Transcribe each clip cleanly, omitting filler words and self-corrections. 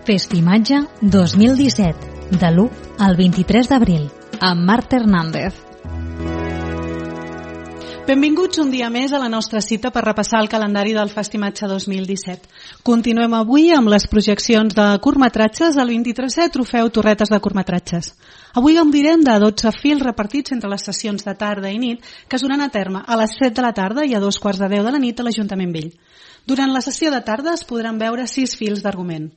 Festimatge 2017, de l'1 al 23 d'abril, amb Marta Hernández. Benvinguts un dia més a la nostra cita per repassar el calendari del Festimatge 2017. Continuem avui amb les projeccions de curtmetratges del 23è Trofeu Torretes de Curtmetratges. Avui gaudirem de 12 fils repartits entre les sessions de tarda i nit que es duran a terme a les 7 de la tarda i a 2:15 de la nit a l'Ajuntament Vell. Durant la sessió de tarda es podran veure 6 fils d'argument.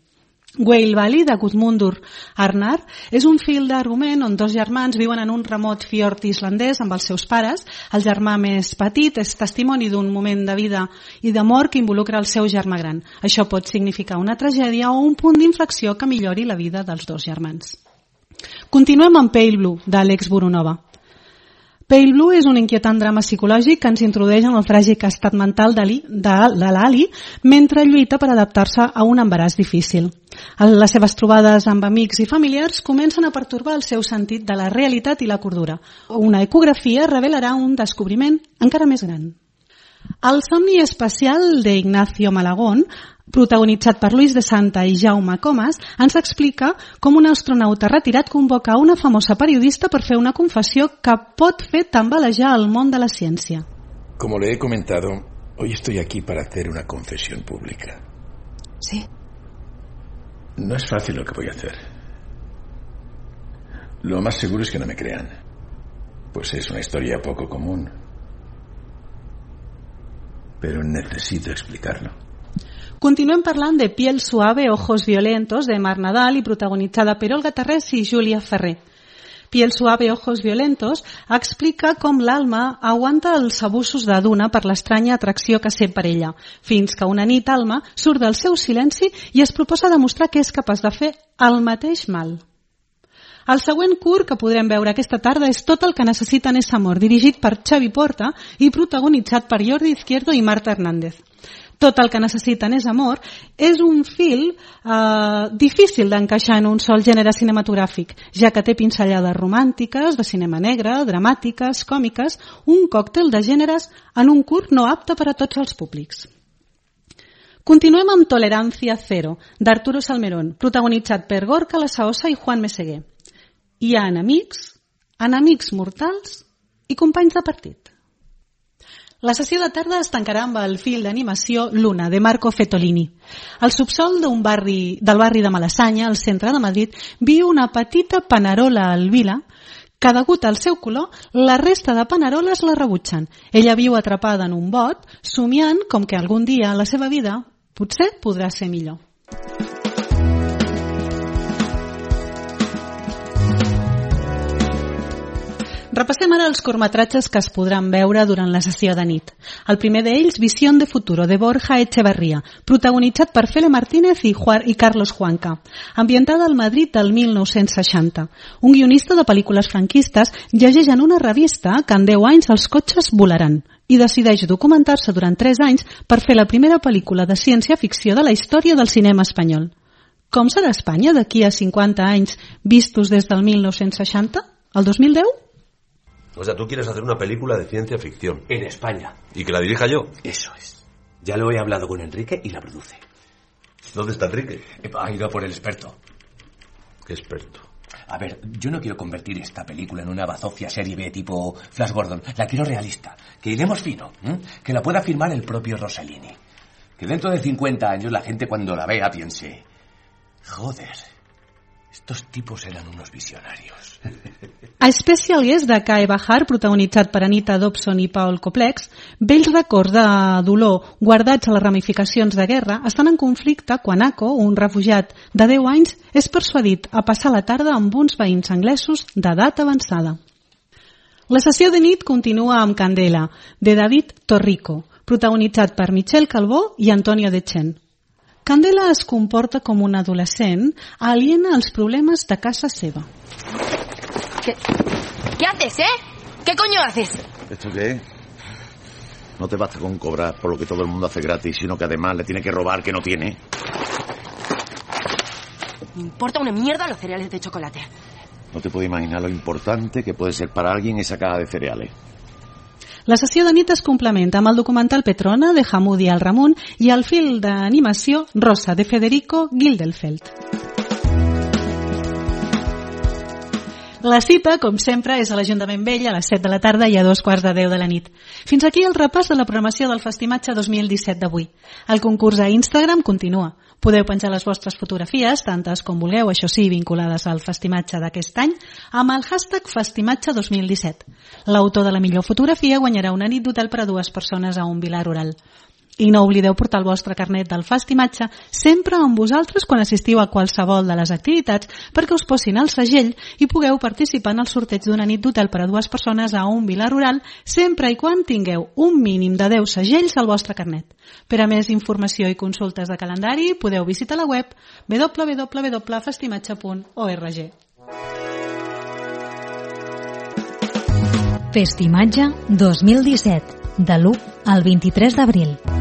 Whale Valley, de Gudmundur Arnar, és un fil d'argument on dos germans viuen en un remot fiord islandès amb els seus pares. El germà més petit és testimoni d'un moment de vida i d'amor que involucra el seu germà gran. Això pot significar una tragèdia o un punt d'inflexió que millori la vida dels dos germans. Continuem amb Pale Blue, d'Àlex Burunova. Pale Blue és un inquietant drama psicològic que ens introdueix en el tràgic estat mental de l'Ali mentre lluita per adaptar-se a un embaràs difícil. Les seves trobades amb amics i familiars comencen a pertorbar el seu sentit de la realitat i la cordura. Una ecografia revelarà un descobriment encara més gran. El somni espacial d'Ignacio Malagón, protagonitzat per Luis de Santa i Jaume Comas, ens explica com un astronauta retirat convoca a una famosa periodista per fer una confessió que pot fer tambalejar el món de la ciència. Como le he comentado, hoy estoy aquí para hacer una confesión pública. ¿Sí? No es fácil lo que voy a hacer. Lo más seguro es que no me crean, pues es una historia poco común. Pero necesito explicarlo. Continuem parlant de Piel suave, ojos violentos, de Mar Nadal i protagonitzada per Olga Tarrés i Júlia Ferrer. Piel suave, ojos violentos explica com l'Alma aguanta els abusos de Duna per l'estranya atracció que sent per ella, fins que una nit Alma surt del seu silenci i es proposa demostrar que és capaç de fer el mateix mal. El següent curt que podrem veure aquesta tarda és Tot el que necessiten és amor, dirigit per Xavi Porta i protagonitzat per Jordi Izquierdo i Marta Hernández. Tot el que necessiten és amor és un fil difícil d'encaixar en un sol gènere cinematogràfic, ja que té pinzellades romàntiques, de cinema negre, dramàtiques, còmiques, un còctel de gèneres en un curt no apte per a tots els públics. Continuem amb Tolerancia Cero, d'Arturo Salmerón, protagonitzat per Gorka Lasaosa i Juan Meseguer. Hi ha enemics mortals i companys de partit. La sessió de tarda es tancarà amb el fil d'animació Luna, de Marco Fetolini. Al subsol del barri de Malassanya, al centre de Madrid, viu una petita panerola albina que, degut al seu color, la resta de paneroles la rebutgen. Ella viu atrapada en un bot, somiant com que algun dia la seva vida potser podrà ser millor. Repassem ara els curtmetratges que es podran veure durant la sessió de nit. El primer d'ells, Visión de futuro, de Borja Echevarría, protagonitzat per Fele Martínez i Carlos Juanca, ambientada al Madrid del 1960. Un guionista de pel·lícules franquistes llegeix en una revista que en 10 anys els cotxes volaran i decideix documentar-se durant 3 anys per fer la primera pel·lícula de ciència-ficció de la història del cinema espanyol. Com serà Espanya d'aquí a 50 anys vistos des del 1960? El 2010? O sea, tú quieres hacer una película de ciencia ficción. En España. ¿Y que la dirija yo? Eso es. Ya lo he hablado con Enrique y la produce. ¿Dónde está Enrique? Ha ido a por el experto. ¿Qué experto? A ver, yo no quiero convertir esta película en una bazofia serie B tipo Flash Gordon. La quiero realista. Que iremos fino. Que la pueda firmar el propio Rossellini. Que dentro de 50 años la gente cuando la vea piense... Joder, estos tipos eran unos visionarios. A Special Guest de Kai Bahar, protagonitzat per Anita Dobson i Paul Koplex, vells records de dolor guardats a les ramificacions de guerra estan en conflicte quan Ako, un refugiat de 10 anys, és persuadit a passar la tarda amb uns veïns anglesos d'edat avançada. La sessió de nit continua amb Candela, de David Torrico, protagonitzat per Michelle Calvó i Antonio Dechen. Candela es comporta com un adolescent aliena als problemes de casa seva. ¿Qué haces, ¿Qué coño haces? ¿Esto qué? No te basta con cobrar por lo que todo el mundo hace gratis, sino que además le tiene que robar que no tiene. Me importa una mierda los cereales de chocolate. No te puedo imaginar lo importante que puede ser para alguien esa caja de cereales. La sessió de nit es complementa amb el documental Petrona de Hamoudi Al-Ramoun i el film d'animació Rosa de Federico Gildenfeld. La cita, com sempre, és a l'Ajuntament Vell a les 7 de la tarda i a 2:15 de la nit. Fins aquí el repàs de la programació del Festimatge 2017 d'avui. El concurs a Instagram continua. Podeu penjar les vostres fotografies, tantes com vulgueu, això sí, vinculades al Festimatge d'aquest any, amb el hashtag Festimatge 2017. L'autor de la millor fotografia guanyarà una nit d'hotel per a 2 persones a un vila rural. I no oblideu portar el vostre carnet del Festimatge sempre amb vosaltres quan assistiu a qualsevol de les activitats perquè us posin el segell i pugueu participar en el sorteig d'una nit d'hotel per a 2 persones a un vila rural sempre i quan tingueu un mínim de 10 segells al vostre carnet. Per a més informació i consultes de calendari podeu visitar la web www.festimatge.org. Festimatge 2017, de l'1 al 23 d'abril.